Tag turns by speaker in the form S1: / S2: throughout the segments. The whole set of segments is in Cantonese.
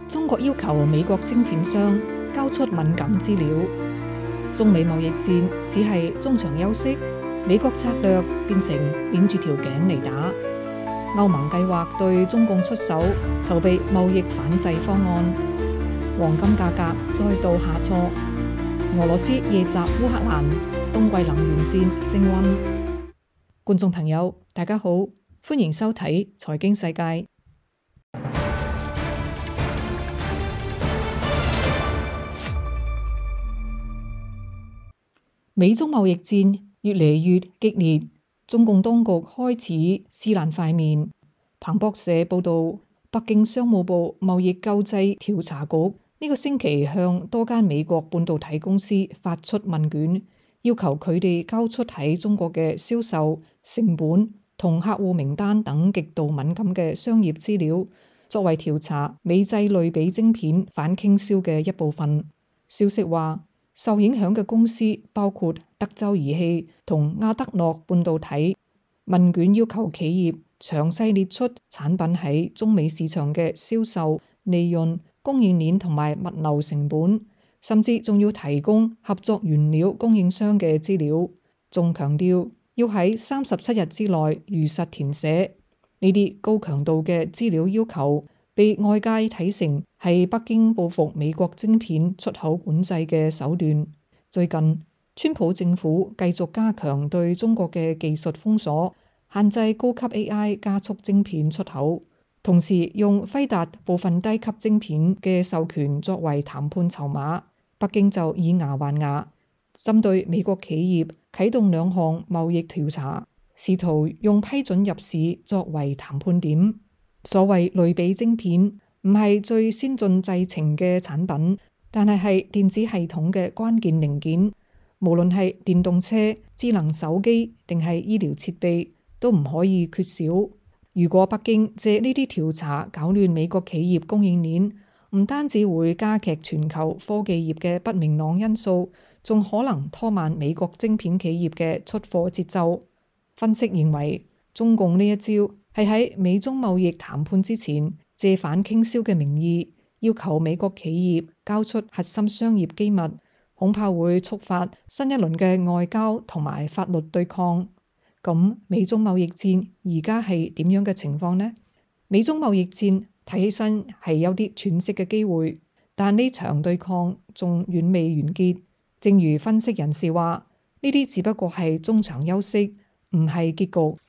S1: 中國要求美國晶片商交出敏感資料，中美貿易戰只係中場休息，美國策略變成捏住條頸嚟打。歐盟計劃對中共出手，籌備貿易反制方案。黃金價格再度下挫。俄羅斯夜襲烏克蘭，冬季能源戰升溫。觀眾朋友，大家好，歡迎收睇財經世界。美中貿易戰越嚟越激烈，中共當局開始撕爛塊面。彭博社報道，北京商務部貿易救濟調查局呢個星期向多間美國半導體公司發出問卷，要求佢哋交出喺中國嘅銷售、成本同客戶名單等極度敏感嘅商業資料，作為調查美製類比晶片反傾銷嘅一部分。消息話，受影響嘅公司包括德州儀器同亞德諾半導體。問卷要求企業詳細列出產品喺中美市場嘅銷售、利潤、供應鏈同埋物流成本，甚至仲要提供合作原料供應商嘅資料，仲強調要喺37日之內如實填寫。呢啲高強度嘅資料要求被外界睇成係北京報復美國晶片出口管制嘅手段。最近，川普政府繼續加強對中國嘅技術封鎖，限制高級 AI 加速晶片出口，同時用輝達部分低級晶片嘅授權作為談判籌碼。北京就以牙還牙，針對美國企業啟動2項貿易調查，試圖用批准入市作為談判點。所謂類比晶片唔係最先進製程嘅產品，但係電子系統嘅關鍵零件，無論係電動車、智能手機定係醫療設備，都唔可以缺少。如果北京借呢啲調查搞亂美國企業供應鏈，唔單止會加劇全球科技業嘅不明朗因素，仲可能拖慢美國晶片企業嘅出貨節奏。分析認為，中共呢一招係喺美中貿易談判之前，借反傾銷嘅名義，要求美國企業交出核心商業機密，恐怕會觸發新一輪嘅外交同埋法律對抗。咁美中貿易戰而家係點樣嘅情況呢？美中貿易戰睇起身係有啲喘息嘅機會，但呢場對抗仲遠未完結。正如分析人士話，呢啲只不過係中場休息，唔係結局。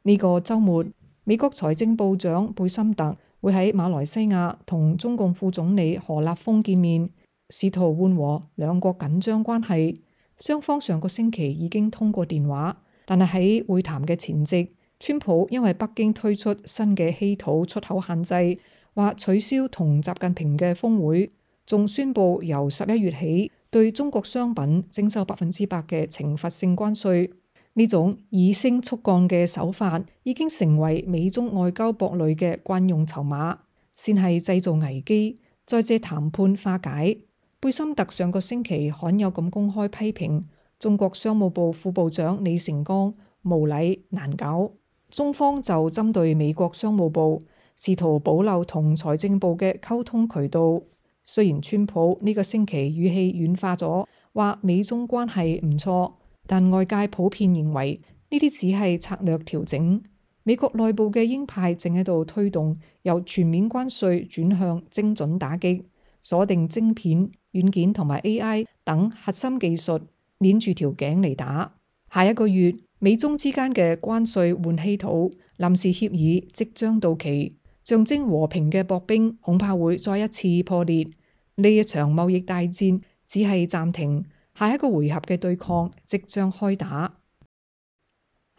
S1: 呢個週末，美國財政部長貝森特會喺馬來西亞同中共副總理何立峰見面，試圖緩和兩國緊張關係。雙方上個星期已經通過電話，但係喺會談嘅前夕，川普因為北京推出新嘅稀土出口限制，話取消同習近平嘅峰會，仲宣布由11月起對中國商品徵收100%嘅懲罰性關稅。呢種以升促降嘅手法已經成為美中外交博弈嘅慣用籌碼，先係製造危機，再借談判化解。貝森特上個星期罕有咁公開批評中國商務部副部長李成鋼無禮難搞，中方就針對美國商務部試圖保留同財政部嘅溝通渠道。雖然川普呢個星期語氣軟化咗，話美中關係唔錯，但外界普遍認為呢啲只係策略調整。美國內部嘅鷹派正喺度推動由全面關稅轉向精準打擊，鎖定晶片、軟件同埋 AI 等核心技術，捏住條頸嚟打。下一個月，美中之間嘅關稅換稀土臨時協議即將到期，象徵和平嘅薄冰恐怕會再一次破裂。呢一場貿易大戰只係暫停，下一個回合嘅對抗即將開打。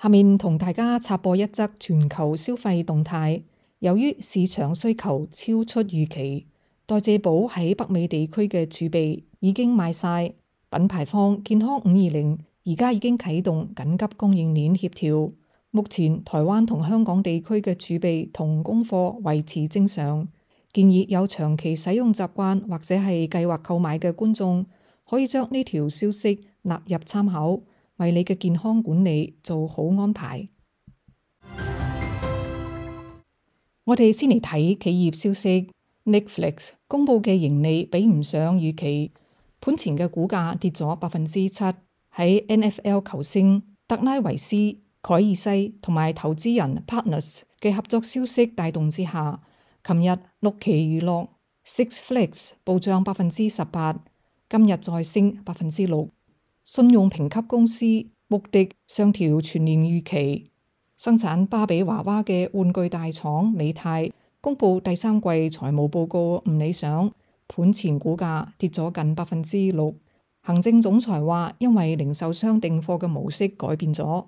S1: 下面同大家插播一則全球消費動態。由於市場需求超出預期，代謝寶喺北美地區嘅儲備已經賣晒。品牌方健康520而家已經啟動緊急供應鏈協調。目前台灣同香港地區嘅儲備同供貨維持正常。建議有長期使用習慣或者係計劃購買嘅觀眾，可以將呢條消息納入參考，為你嘅健康管理做好安排。我哋先嚟睇企業消息。Netflix 公佈嘅盈利比唔上預期，盤前嘅股價跌咗7%。喺 NFL 球星特拉維斯·凱爾西同埋投資人 Partners 嘅合作消息帶動之下，琴日六旗娛樂 Six Flags 暴漲18%，今日再升6%。信用評級公司穆迪上調全年預期。生產芭比娃娃嘅玩具大廠美泰公佈第三季財務報告唔理想，盤前股價跌咗近6%。行政總裁話，因為零售商訂貨嘅模式改變咗。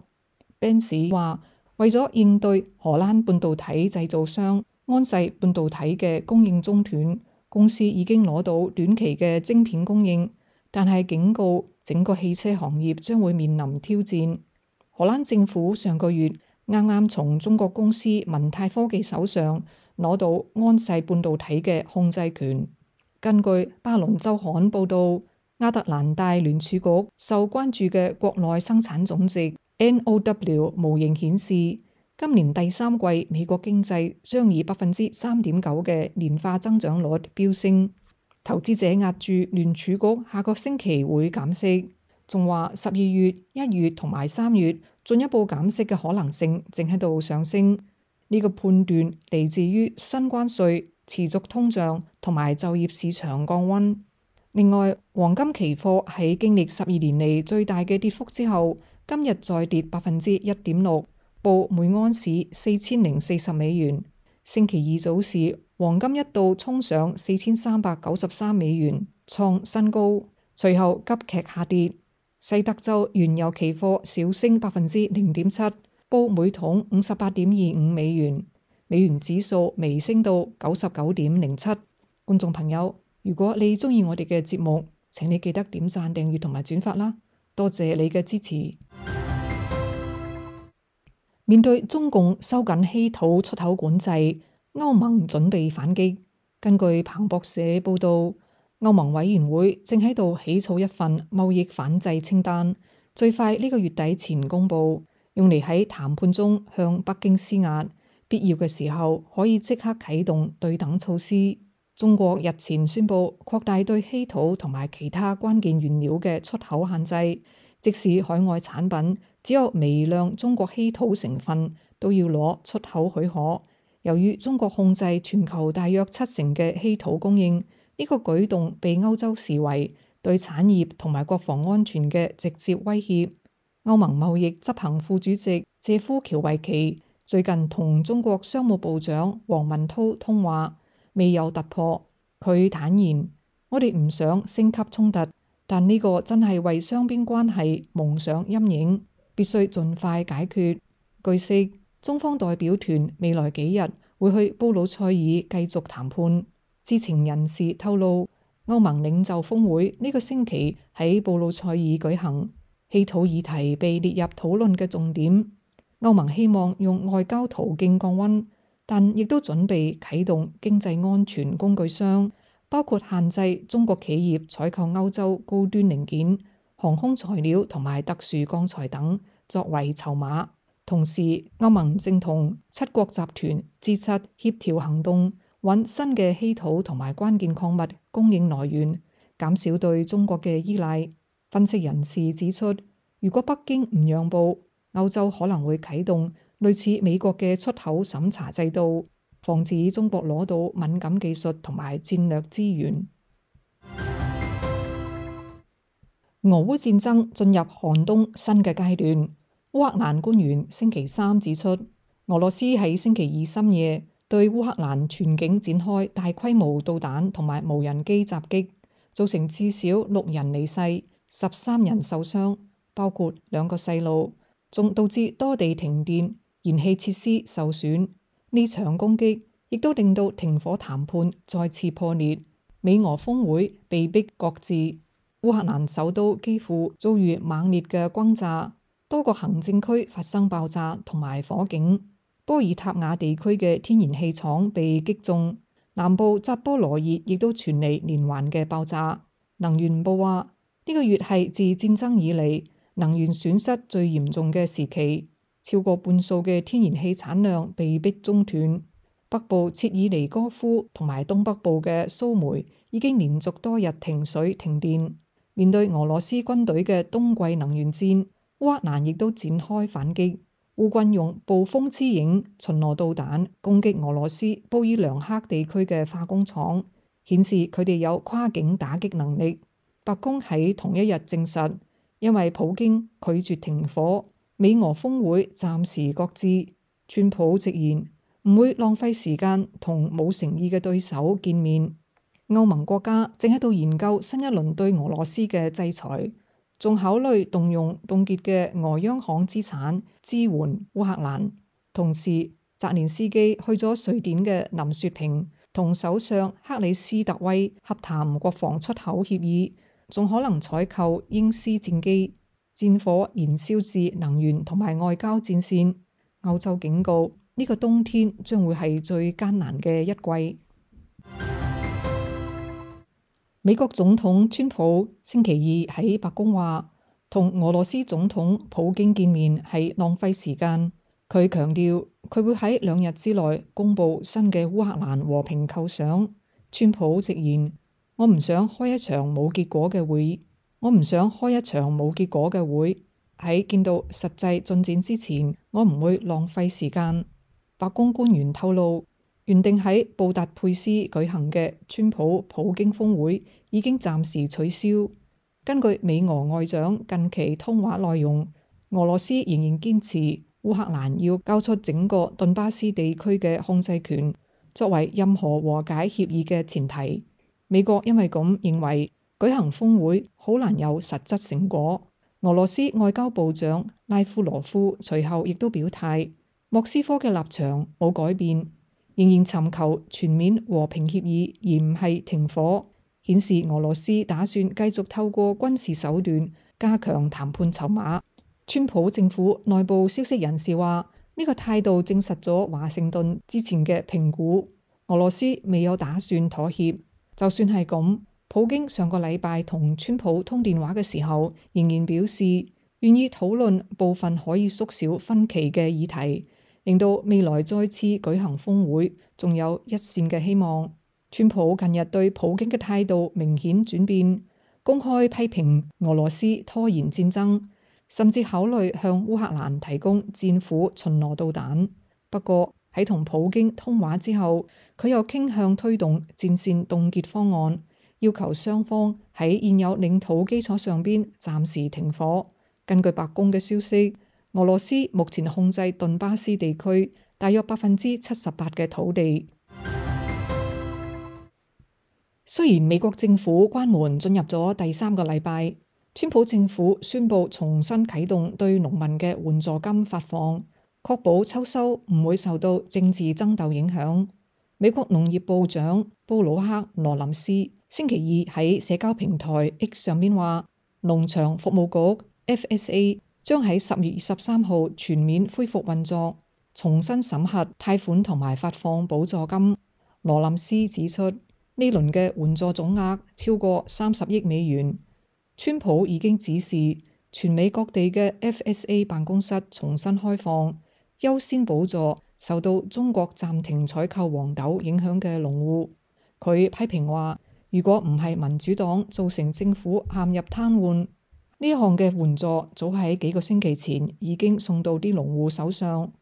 S1: Benz 話，為咗應對荷蘭半導體製造商安碩半導體嘅供應中斷，公司已經攞到短期嘅晶片供應，但係警告整個汽車行業將會面臨挑戰。荷蘭政府上個月啱啱從中國公司文泰科技手上攞到安碩半導體嘅控制權。根據巴倫週刊報導，亞特蘭大聯儲局受關注嘅國內生產總值 NOW 模型顯示，今年第三季美國經濟將以3.9%嘅年化增長率飆升。投資者押注聯儲局下個星期會減息，仲話12月、1月同埋3月進一步減息嘅可能性正喺度上升。呢個判斷嚟自於新關稅、持續通脹同埋就業市場降溫。另外，黃金期貨喺經歷12年嚟最大嘅跌幅之後，今日再跌1.6%，報每盎司$4040。星期二早市，黃金一度衝上$4393，創新高，隨後急劇下跌。西德州原油期貨小升0.7%，報每桶$58.25。美元指數微升到99.07。觀眾朋友，如果你鍾意我哋嘅節目，請你記得點讚、訂閱同埋轉發啦，多謝你嘅支持。面對中共收緊稀土出口管制，歐盟準備反擊。根據彭博社報道，歐盟委員會正喺度起草一份貿易反制清單，最快呢個月底前公佈，用嚟喺談判中向北京施壓，必要嘅時候可以即刻啟動對等措施。中國日前宣布擴大對稀土同埋其他關鍵原料嘅出口限制，即使海外產品只有微量中國稀土成分，都要攞出口許可。由於中國控制全球大約70%嘅稀土供應，呢個舉動被歐洲視為對產業同埋國防安全嘅直接威脅。歐盟貿易執行副主席謝夫喬維奇最近同中國商務部長王文濤通話，未有突破。佢坦言：我哋唔想升級衝突，但呢個真係為雙邊關係蒙上陰影，必須盡快解決。據悉，中方代表團未來幾日會去布魯塞爾繼續談判。知情人士透露，歐盟領袖峰會呢個星期喺布魯塞爾舉行，稀土議題被列入討論嘅重點。歐盟希望用外交途徑降溫，但亦都準備啟動經濟安全工具箱，包括限制中國企業採購歐洲高端零件、航空材料同埋特殊鋼材等，作為籌碼。同時，歐盟正同7國集團 G7 協調行動，揾新嘅稀土同埋關鍵礦物供應來源，減少對中國嘅依賴。分析人士指出，如果北京唔讓步，歐洲可能會啟動類似美國嘅出口審查制度，防止中國攞到敏感技術同埋戰略資源。俄烏戰爭進入寒冬新嘅階段。烏克蘭官員星期三指出，俄羅斯喺星期二深夜對烏克蘭全境展開大規模導彈同埋無人機襲擊，造成至少6人離世、13人受傷，包括2個細路，仲導致多地停電、燃氣設施受損。呢場攻擊亦都令到停火談判再次破裂，美俄峰會被迫擱置。烏克蘭首都幾乎遭遇猛烈嘅轟炸。多個行政區發生爆炸同埋火警，波爾塔瓦地區嘅天然氣廠被擊中，南部扎波羅熱亦都傳嚟連環嘅爆炸。能源部話，呢個月係自戰爭以嚟能源損失最嚴重嘅時期，超過半數嘅天然氣產量被迫中斷。北部切爾尼戈夫同埋東北部嘅蘇梅已經連續多日停水停電。面對俄羅斯軍隊嘅冬季能源戰，烏克蘭亦都展開反擊。烏軍用暴風之影巡邏導彈攻擊俄羅斯布爾良克地區嘅化工廠，顯示佢哋有跨境打擊能力。白宮喺同一日證實，因為普京拒絕停火，美俄峰會暫時擱置。川普直言唔會浪費時間同冇誠意嘅對手見面。歐盟國家正喺度研究新一輪對俄羅斯嘅制裁，仲考慮動用凍結嘅俄央行資產支援烏克蘭。同時，澤連斯基去咗瑞典嘅林雪平同首相克里斯特威洽談國防出口協議，仲可能採購鷹獅戰機。戰火燃燒至能源同埋外交戰線。歐洲警告呢個冬天將會係最艱難嘅一季。美國總統川普星期二喺白宮話，同俄羅斯總統普京見面係浪費時間。佢強調佢會喺2日之內公布新嘅烏克蘭和平構想。川普直言：我唔想開一場冇結果嘅會，喺見到實際進展之前，我唔會浪費時間。白宮官員透露，原定喺布達佩斯舉行嘅川普京峰會已經暫時取消。根據美俄外長近期通話內容，俄羅斯仍然堅持烏克蘭要交出整個頓巴斯地區嘅控制權，作為任何和解協議嘅前提。美國因為咁認為舉行峰會好難有實質成果。俄羅斯外交部長拉夫羅夫隨後亦都表態，莫斯科嘅立場冇改變，仍然尋求全面和平協議，而唔係停火，顯示俄羅斯打算繼續透過軍事手段加強談判籌碼。川普政府內部消息人士話，呢個態度證實咗華盛頓之前嘅評估，俄羅斯未有打算妥協。就算係咁，普京上個禮拜同川普通電話嘅時候，仍然表示願意討論部分可以縮小分歧嘅議題，令到未來再次舉行峰會仲有一線嘅希望。川普近日對普京嘅態度明顯轉變，公開批評俄羅斯拖延戰爭，甚至考慮向烏克蘭提供戰斧巡邏導彈。不過喺同普京通話之後，佢又傾向推動戰線凍結方案，要求雙方喺現有領土基礎上邊暫時停火。根據白宮嘅消息，俄羅斯目前控制頓巴斯地區大約78%嘅土地。雖然美國政府關門進入咗第3個禮拜，川普政府宣布重新啟動對農民嘅援助金發放，確保秋收唔會受到政治爭鬥影響。美國農業部長布魯克羅林斯星期二喺社交平台 X 上邊話，農場服務局 FSA 將喺10月23號全面恢復運作，重新審核貸款同埋發放補助金。羅林斯指出，呢輪嘅援助總額超過30億美元。川普已經指示全美各地嘅 FSA 辦公室重新開放，優先補助受到中國暫停採購黃豆影響嘅農戶。佢批評話，如果唔係民主黨造成政府陷入癱瘓，呢一項嘅援助早喺幾個星期前已經送到啲農戶手上。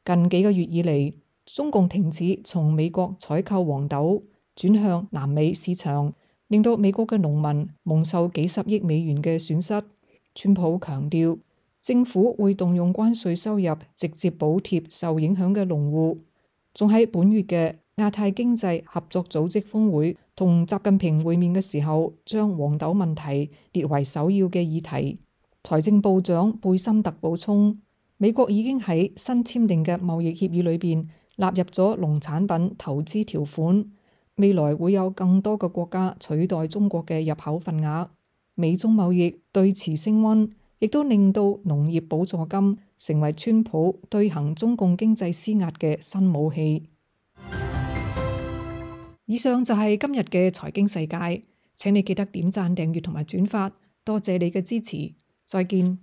S1: 近幾個月以嚟，中共停止從美國採購黃豆，轉向南美市場，令到美國嘅農民蒙受幾十億美元嘅損失。川普強調，政府會動用關稅收入直接補貼受影響嘅農戶，仲喺本月嘅亞太經濟合作組織峰會同習近平會面嘅時候，將黃豆問題列為首要嘅議題。財政部長貝森特補充，美國已經喺新簽訂嘅貿易協議裏邊納入咗農產品投資條款，未來會有更多嘅國家取代中國嘅入口份額。美中貿易對峙升溫，亦都令到農業補助金成為川普對行中共經濟施壓嘅新武器。以上就係今日嘅財經世界，請你記得點讚、訂閱同埋轉發，多謝你嘅支持，再見。